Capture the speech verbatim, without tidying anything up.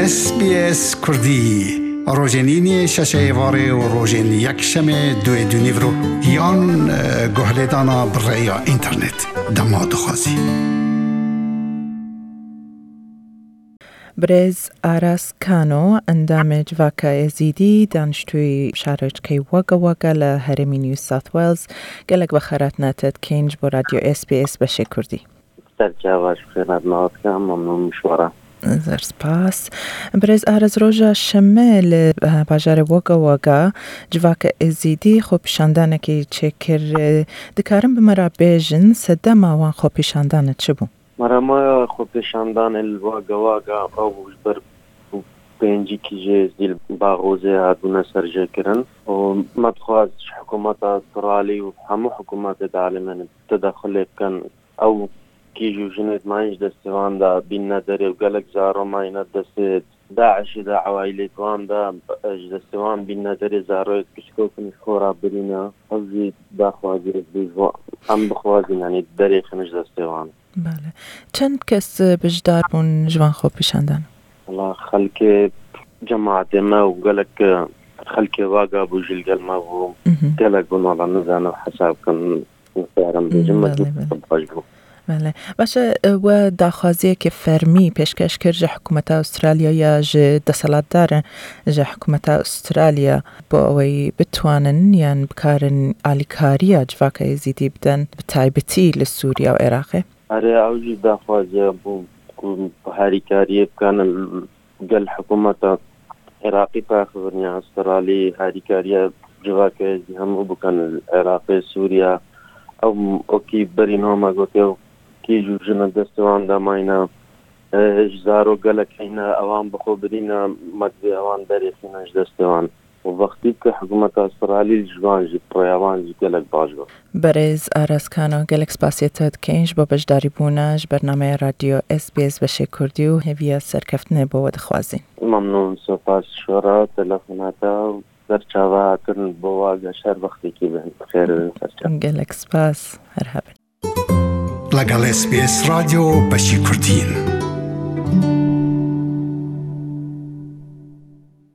S B S Kurdî, rojên îniyê şeşê êvarê û rojên yekşemê duê dûnîvro yan, e, guhlêdana bi rêya înternet. Dema dixwazî. Birêz Aras Kano, endamê Civaka Êzîdî, daniştûyî şarojkey Wagga Wagga li herêmî New South Wales, gelek vexweratna te dikeyn ji bo Radyo S B S beşê Kurdî. Ser çava ji xêr hatnahatin, memnûn ji we re. Zor spas. Birêz Aras, roja şemê li, eh, bajarê Wagga Wagga civaka Êzîdî xwepîşandanekî çêkir. Eh, dikarin bi me re bêjin, sedema wan xwepîşandane çi bû? Merema xwepîşandanê li Wagga Wagga ew bû ji ber pêncî kîjê Êzîdî li Baxozê hatbûne serjêkirin û me dixwest ji hikûmeta Astralî û hemû hikûmetê di alemê tedexulê bikin. Ew kîj û jinê di mayîn ji destê wan de bînine derê û gelek zaro mayîne destê DAIŞê de, ewaîlê wan de, ji destê wan bînine derê, zaroyê piçkok in ji xwe re birîne. Ew jî daxwaziyek bû ji bo em bixwazin, yanî derêxin ji destê wan. Bale. Çend kes, e, beşdar bûn ji van xwepîşandan? Wala xelkê cemaetê me û gelek, e, xelkê Wagga bû jî li gel me bû. Mhm. Gelek bûn, wala nizanim hesab kim, nikarim bêjim, Bale, mecbûr bale. Baş bû. Bale. Baş e, we daxwaziyeke fermî pêşkeş kir ji hikûmeta Astralya ya ji desthilatdaran, ji hikûmeta Astralya bo ewey bitwanin yan bikarin alîkariya civaka Êzîdî bidin, bi taybetî li Sûriya û Iraqê? Erê, ew jî daxwaziya bû ku harîkariyê bikanin gel hikûmeta Iraqî paxivin ya Astralî, harîkariya civaka Êzîdî hemû bikin li Iraqê, Sûriya. Ew okî berî niha me gotiye, kîj û jin destê wan de mayne, e, ji zarok gelek heyne, ewan bi xwe birîne, me divê ewan derêxîne ji destê wan. Û wextî ku hikûmeta Astralî ji van jî, bi rêya wan jî gelek baş bû. Berêz Aras Kano, gelek spasiya te dikeyn ji bo beşdarîbûna ji bernameya Radyo S B S beşê Kurdî û hêviya serkeftinê bo we dixwazîn. Memnûn, spas ji we re, telefona te û serçava hatin bo we geş her wextekî bin. Xêr bin serçava. Gelek spas, her hebin. لەگەڵ S B S رادیۆ بەشی کوردین.